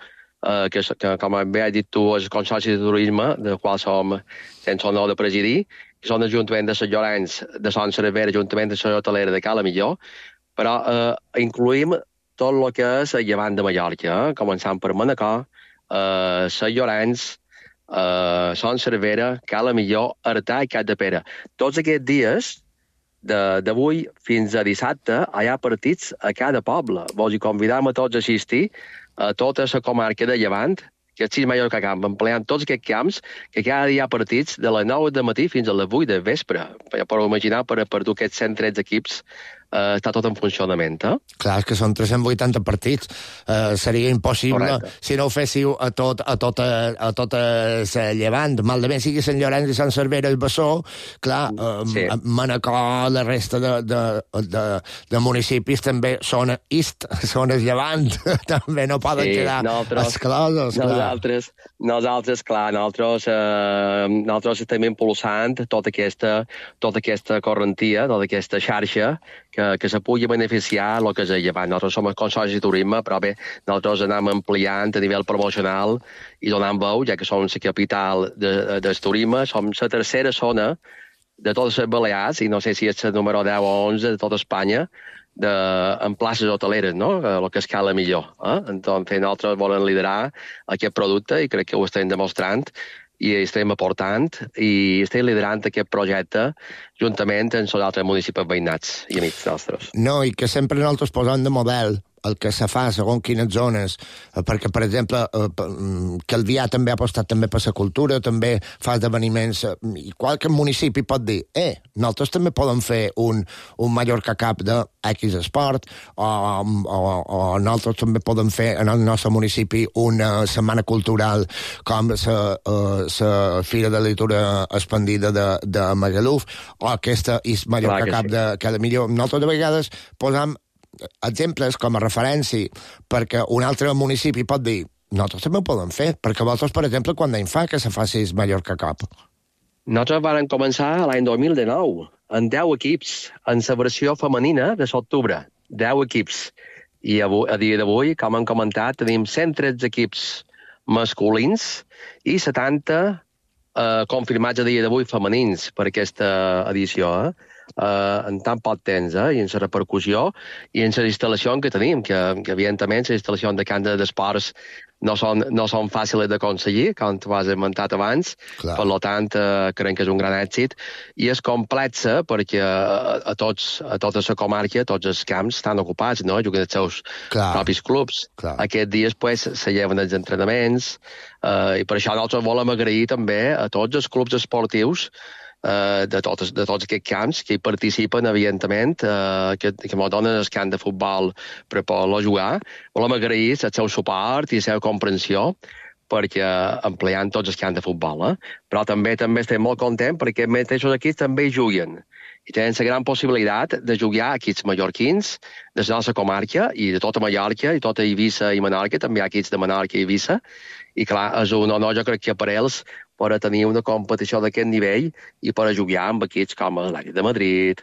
que com bé has dit tu, és el Consorci de Turisme, del qual som sense honor de presidir, que són l'Ajuntament de Sant Llorenç, de Son Servera, l'Ajuntament de Sant Hotelera de Cala Millor, però incluïm tot el que és el llevant de Mallorca, començant per Manacor, Sant Llorenç, Son Servera, Cala Millor, Artà i Capdepera. Tots aquests dies, d'avui fins a dissabte, hi ha partits a cada poble. Vols hi convidam a tots a assistir a tota la comarca de Llevant, que és 6 Mallorca Camp, empleant tots aquests camps, que cada dia hi ha partits de les 9 de matí fins a les 8 de vespre. Ja podeu imaginar, per dur aquests 113 equips, està tot en funcionament. Clar, és que són 380 partits. Seria impossible. Correcte. Si no ho féssiu a tot Llevant. Malament sigui Sant Llorenç i Sant Cervera i Bessó, clar, sí. Manacor, la resta de municipis també són Est, són el Llevant. També no poden quedar exclosos. Nosaltres, clar, nosaltres estem impulsant tota aquesta correntia, tota aquesta xarxa que se pugui beneficiar el que és el Llevant. Nosaltres som el Consorci de Turisme, però bé, nosaltres anem ampliant a nivell promocional i donant veu, ja que som la capital del turisme, som la tercera zona de totes les Balears, i no sé si és el número 10 o 11 de tota Espanya, en places hoteleres, no? El que es cala millor. Entonces, nosaltres volem liderar aquest producte i crec que ho estem demostrant i estem aportant i estem liderant aquest projecte juntament amb els altres municipis veïnats i amics nostres. No, i que sempre nosaltres posem de model el que se fa segons quines zones, perquè, per exemple, Calvià també ha apostat també per la cultura, també fa esdeveniments, i qualque municipi pot dir, nosaltres també podem fer un Mallorca Cup de X esport, o nosaltres també podem fer en el nostre municipi una setmana cultural com la Fira de Literatura Expandida de Magaluf, o aquesta Mallorca Cup de cada millor. Nosaltres de vegades posam exemples com a referència perquè un altre municipi pot dir nosaltres també ho podem fer, perquè vosaltres, per exemple, quan d'any fa que se faci el Mallorca Cup? Nosaltres vam començar l'any 2019 amb 10 equips en la versió femenina de l'octubre, 10 equips, i a dia d'avui, com hem comentat, tenim 113 equips masculins i 70 confirmats a dia d'avui femenins per aquesta edició, en tan poc temps, i en la repercussió i en les instal·lacions que tenim, que evidentment les instal·lacions de camp d'esports no són fàcils d'aconseguir, com tu has esmentat abans. Clar. Per tant, crec que és un gran èxit i és complexa perquè a tota la comarca, tots els camps estan ocupats, no? Juguen els seus propis clubs. Clar. Aquests dies se lleven els entrenaments i per això nosaltres volem agrair també a tots els clubs esportius de tots aquests camps que hi participen, evidentment, que ens donen el camp de futbol per poder jugar. Volem agrair el seu suport i la seva comprensió perquè empleant tots els camps de futbol. Però també estem molt contents perquè mateixos equips també hi juguen i tenen la gran possibilitat de jugar equips mallorquins de la nostra comarca i de tota Mallorca i tota Eivissa i Menorca, també hi ha equips de Menorca i Eivissa, i clar, és un honor, jo crec que per ells, per a tenir una competició d'aquest nivell i per a jugar amb equips com l'Atlètic de Madrid,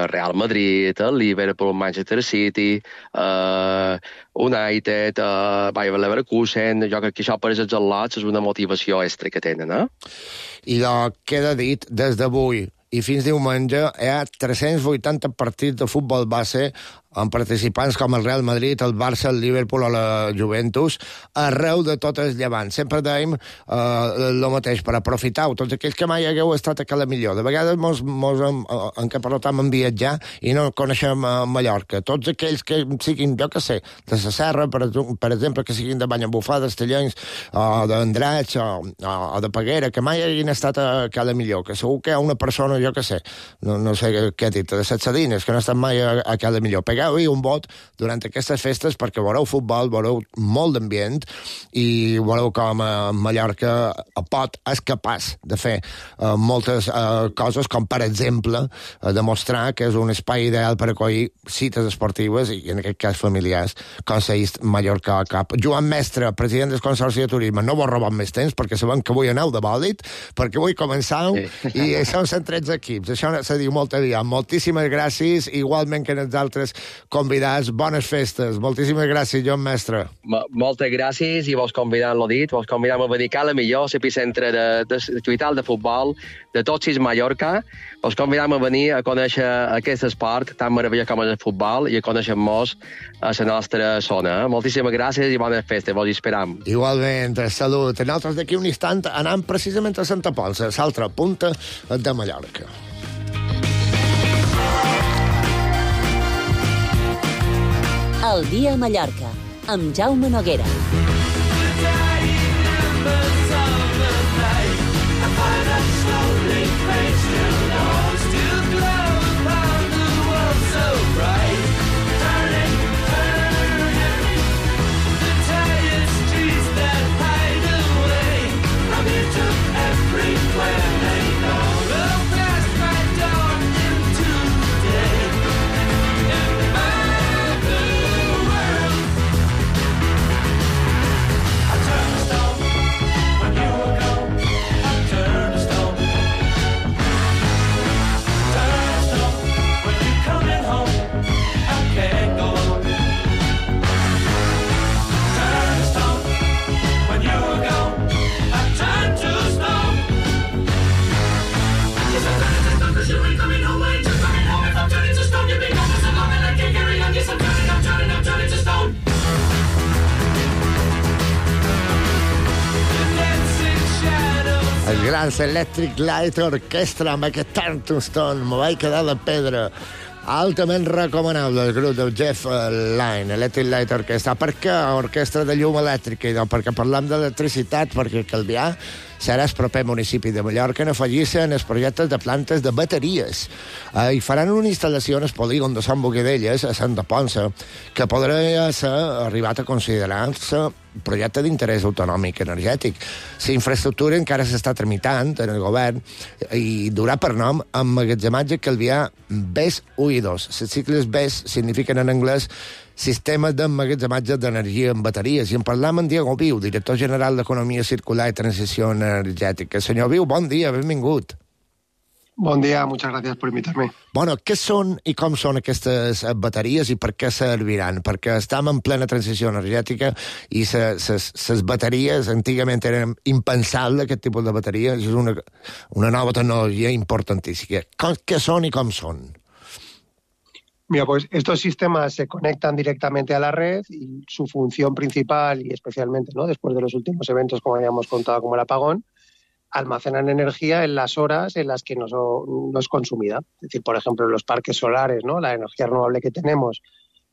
Real Madrid, el Liverpool, Manchester City, United, Bayer Leverkusen. Jo crec que això per als atlots és una motivació extra que tenen. I queda dit, des d'avui i fins diumenge hi ha 380 partits de futbol base amb participants com el Real Madrid, el Barça, el Liverpool o la Juventus, arreu de tot el Llevant. Sempre dèiem el mateix, per aprofitar-ho, tots aquells que mai hagueu estat a Cala Millor. De vegades en què parlotam en viatjar i no coneixem Mallorca. Tots aquells que siguin, jo que sé, de la Serra, per exemple, que siguin de Banyabufar, d'Estellencs, o d'Andratx, o de Peguera, que mai hagin estat a Cala Millor, que segur que hi ha una persona, jo que sé, no sé què he dit, de Set Sadines, que no ha estat mai a Cala Millor. tragueu-hi un vot durant aquestes festes perquè veureu futbol, veureu molt d'ambient i veureu com Mallorca és capaç de fer moltes coses, com per exemple demostrar que és un espai ideal per acollir cites esportives i en aquest cas familiars, com s'ha Mallorca Cup. Joan Mestre, president del Consorci de Turisme, no vos robem més temps perquè sabem que avui aneu de bòlit, perquè avui començau i són 113 equips. Això se diu molt aviat. Moltíssimes gràcies, igualment que els altres convidats. Bones festes. Moltíssimes gràcies, Joan Mestre. Moltes gràcies i vos convidam, l'ho dit, vos convidam a dedicar la millor l'epicentre de lluital de futbol de tot sis Mallorca. Vos convidam a venir a conèixer aquest esport tan meravellós com és el futbol i a conèixer-nos a la nostra zona. Moltíssimes gràcies i bones festes. Vos hi esperam. Igualment, salut. Nosaltres d'aquí un instant anem precisament a Santa Ponça, l'altra punta de Mallorca. El dia a Mallorca, amb Jaume Noguera. El gran Electric Light Orchestra amb aquest Turn to Stone, m'ho vaig quedar de pedra. Altament recomanable el grup del Jeff Lynne, Electric Light Orchestra. Per què orquestra de llum elèctrica? Perquè parlam d'electricitat, perquè Calvià serà el proper municipi de Mallorca en afegir-se en els projectes de plantes de bateries. I faran una instal·lació en el polígon de Sant Bogadelles, a Santa Ponça, que podrà ser arribat a considerar-se projecte d'interès autonòmic energètic. La infraestructura encara s'està tramitant en el govern i durà per nom emmagatzematge Calvià BES 1 i 2. Les sigles BES signifiquen en anglès Sistemes d'emmagatzematge d'energia en bateries. I en parlam amb Diego Viu, director general d'Economia Circular i Transició Energètica. Senyor Viu, bon dia, benvingut. Bon dia, muchas gracias por invitarme. Bueno, què són i com són aquestes bateries i per què serviran? Perquè estem en plena transició energètica i les bateries antigament eren impensables, aquest tipus de bateries. És una nova tecnologia importantíssima. Què són i com són? Mira, pues estos sistemas se conectan directamente a la red y su función principal, y especialmente, ¿no?, después de los últimos eventos, como habíamos contado, como el apagón, almacenan energía en las horas en las que no es consumida. Es decir, por ejemplo, los parques solares, ¿no?, la energía renovable que tenemos,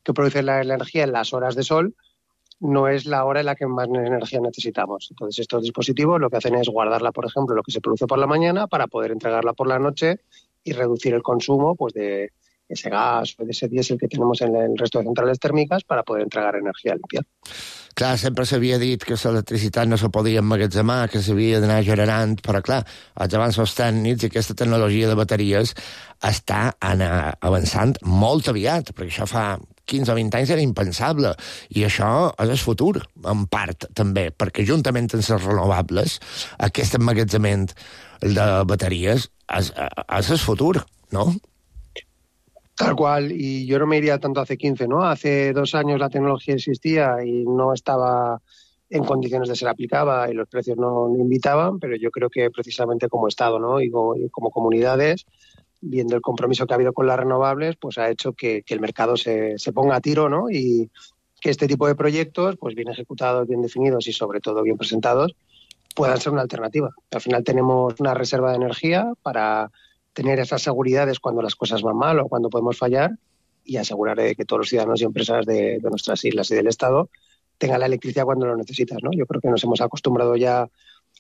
que produce la energía en las horas de sol, no es la hora en la que más energía necesitamos. Entonces, estos dispositivos lo que hacen es guardarla, por ejemplo, lo que se produce por la mañana para poder entregarla por la noche y reducir el consumo, pues, de ese gas o de ese diésel que tenemos en el resto de centrales tèrmiques para poder entregar energia limpia. Clar, sempre s'havia dit que l'electricitat no se podia emmagatzemar, que s'havia d'anar generant, però clar, els avanços tècnics i aquesta tecnologia de bateries està avançant molt aviat, perquè això fa 15 o 20 anys era impensable, i això és el futur, en part, també, perquè juntament amb les renovables, aquest emmagatzement de bateries és el futur, no? Tal cual, y yo no me iría tanto hace 15, ¿no? Hace 2 años la tecnología existía y no estaba en condiciones de ser aplicada y los precios no invitaban, pero yo creo que precisamente como Estado, ¿no?, y como comunidades, viendo el compromiso que ha habido con las renovables, pues ha hecho que el mercado se ponga a tiro, ¿no?, y que este tipo de proyectos, pues bien ejecutados, bien definidos y sobre todo bien presentados, puedan ser una alternativa. Al final tenemos una reserva de energía para tener esas seguridades cuando las cosas van mal o cuando podemos fallar y asegurar que todos los ciudadanos y empresas de nuestras islas y del Estado tengan la electricidad cuando lo necesitas, ¿no? Yo creo que nos hemos acostumbrado ya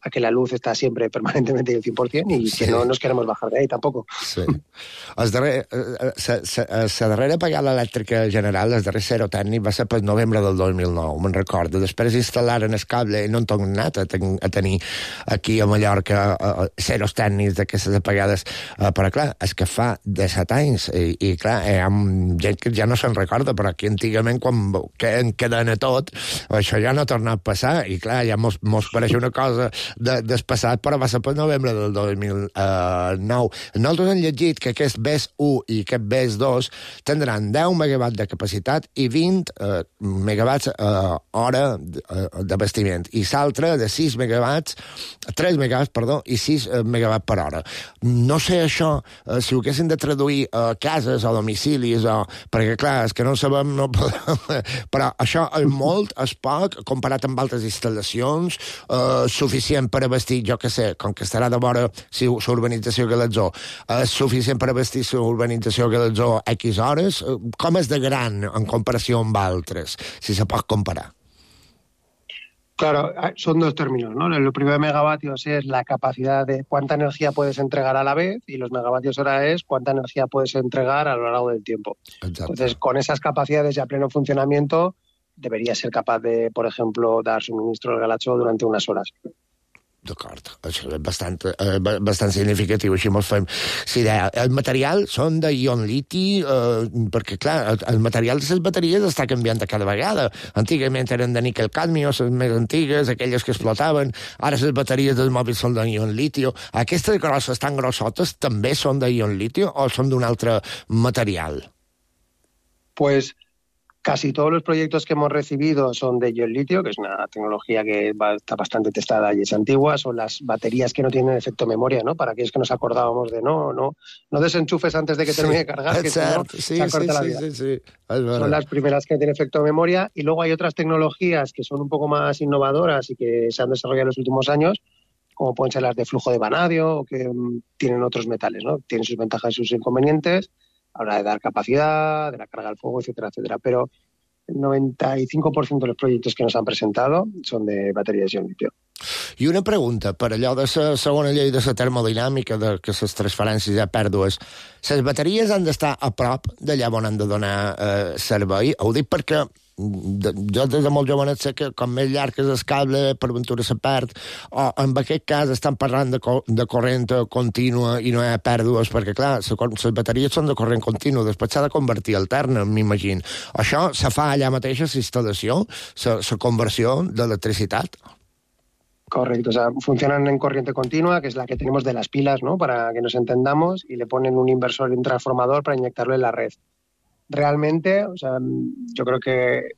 a que la luz está siempre permanentemente al 100% y que no nos queremos bajar de ahí tampoco. Sí. La darrera apagada elèctrica general, el darrer zero tècnic, va ser per novembre del 2009, me'n recordo. Després instal·laren el cable i no en tornat a tenir aquí a Mallorca zeros tècnics d'aquestes apagades. Però clar, és que fa 17 anys i clar, hi ha gent que ja no se'n recorda, però aquí antigament quan queden a tot, això ja no ha tornat a passar i clar, ja mos pareix una cosa del passat, però va ser per novembre del 2009. Nosaltres hem llegit que aquest BES 1 i aquest BES 2 tindran 10 megawatts de capacitat i 20 megawatts hora d'abastiment, i l'altre de 3 megawatts, i 6 megawatts per hora. No sé això, si ho haguessin de traduir a cases o domicilis, perquè clar, és que no sabem, no podem, però això és molt, és poc, comparat amb altres instal·lacions, suficient per abastir, jo que sé, com que estarà de vora l'urbanització Galatzó, és suficient per abastir l'urbanització Galatzó X hores? Com és de gran en comparació amb altres, si se pot comparar? Claro, son dos términos, ¿no? Lo primero de megavatios es la capacidad de cuánta energía puedes entregar a la vez y los megavatios hora es cuánta energía puedes entregar a lo largo del tiempo. Exacto. Entonces, con esas capacidades ya a pleno funcionamiento, debería ser capaz de, por ejemplo, dar suministro al Galatzó durante unas horas. D'acord, això és bastant significatiu, així mos fem idea. El material són d'ion liti, perquè, clar, el material de les bateries està canviant cada vegada. Antigament eren de níquel cadmio, les més antigues, aquelles que explotaven, ara les bateries dels mòbils són d'ion litio. Aquestes grosses, tan grossotes, també són d'ion litio o són d'un altre material? Pues casi todos los proyectos que hemos recibido son de ion litio, que es una tecnología que está bastante testada y es antigua. Son las baterías que no tienen efecto memoria, ¿no? Para aquellos que nos acordábamos de no desenchufes antes de que termine de cargar, que si no, se acorta la vida. Sí. Son las primeras que tienen efecto memoria. Y luego hay otras tecnologías que son un poco más innovadoras y que se han desarrollado en los últimos años, como pueden ser las de flujo de vanadio, o que tienen otros metales, ¿no? Tienen sus ventajas y sus inconvenientes a la hora de dar capacidad, de la carga al fuego, etcétera, etcétera. Pero el 95% de los proyectos que nos han presentado son de baterías de ion litio. I una pregunta, per allò de la segona llei de la termodinàmica, de que les transferències hi ha pèrdues, les bateries han d'estar a prop d'allà on han de donar servei? Ho dic perquè jo des de molt jovenet sé que com més llarg és el cable, per ventura se perd, o en aquest cas estan parlant de corrent contínua i no hi ha pèrdues, perquè clar, les bateries són de corrent continu, després s'ha de convertir alterna, m'imagino. Això se fa allà mateix a la instal·lació, la conversió d'electricitat? Correcto, o sea, funcionan en corriente continua, que es la que tenemos de las pilas, ¿no? Para que nos entendamos, y le ponen un inversor y un transformador para inyectarlo en la red. Realmente, o sea, yo creo que,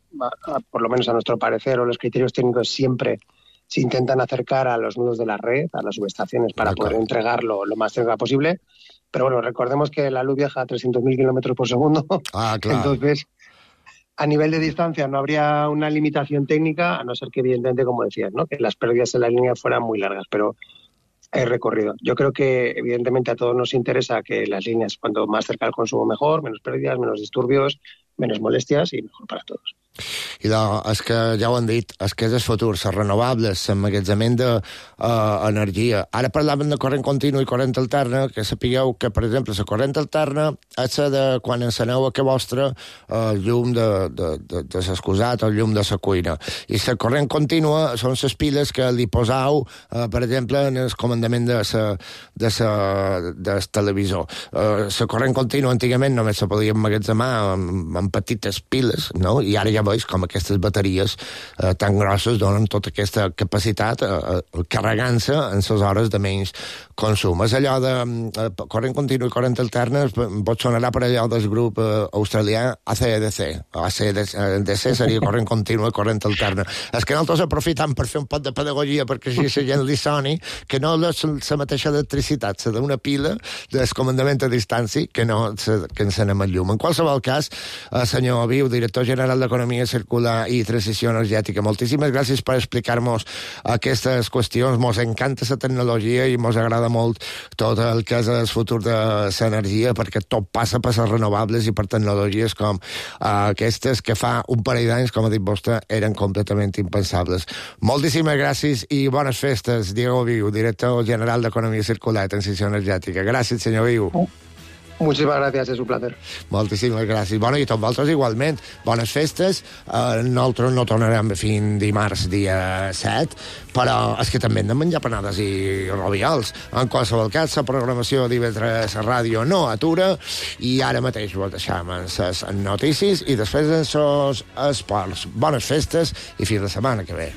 por lo menos a nuestro parecer, o los criterios técnicos siempre se intentan acercar a los nudos de la red, a las subestaciones, para poder entregarlo lo más cerca posible. Pero bueno, recordemos que la luz viaja a 300.000 kilómetros por segundo. Ah, claro. Entonces, a nivel de distancia no habría una limitación técnica, a no ser que, evidentemente, como decías, ¿no? Que las pérdidas en la línea fueran muy largas, pero hay recorrido. Yo creo que, evidentemente, a todos nos interesa que las líneas, cuanto más cerca al consumo, mejor, menos pérdidas, menos disturbios, menos molestias y mejor para todos. I és que ja ho han dit, és que és el futur, les renovables, l'emmagatzament d'energia. Ara parlaven de corrent continu i corrent alterna, que sapigueu que, per exemple, la corrent alterna és la de quan enceneu a casa vostra el llum de l'excusat o el llum de la cuina. I la corrent contínua són les piles que li posau, per exemple, en el comandament del televisor. La corrent contínua antigament només se podia emmagatzemar amb petites piles, no? I ara ja veus com aquestes bateries tan grosses donen tota aquesta capacitat carregant-se en les hores de menys consum. És allò de corrent continu i corrent alterna, pot sonarà per allò del grup australià ACDC. ACDC seria corrent continu i corrent alterna. És que nosaltres aprofitam per fer un pot de pedagogia perquè així la gent li soni que no és la mateixa electricitat, la d'una pila del comandament a distància que no que encenem el llum. En qualsevol cas, senyor Viu, director general d'Economia economia circular i transició energètica. Moltíssimes gràcies per explicar-nos aquestes qüestions. Mos encanta la tecnologia i mos agrada molt tot el que és el futur de l'energia, perquè tot passa per les renovables i per tecnologies com aquestes que fa un parell d'anys, com ha dit vostè, eren completament impensables. Moltíssimes gràcies i bones festes, Diego Viu, director general d'Economia Circular i Transició Energètica. Gràcies, senyor Viu. Muchísimas gracias, es un placer. Moltíssimes gràcies. Bueno, i tots vosaltres igualment. Bones festes. Nosaltres no tornarem fins dimarts, dia 7, però és que també hem de menjar panades i roviols. En qualsevol cas, la programació d'IV3 Ràdio no atura i ara mateix ho deixem en les notícies i després en els esports. Bones festes i fins la setmana que ve.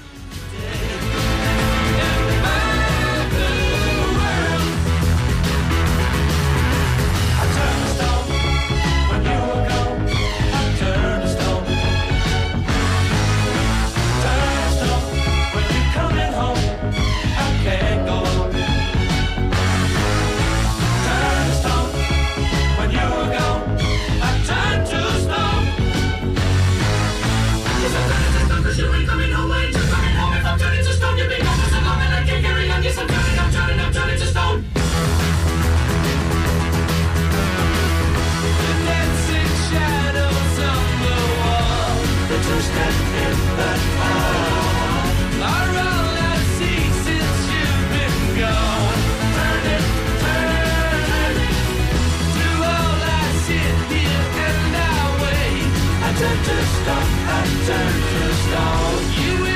Turn to stone.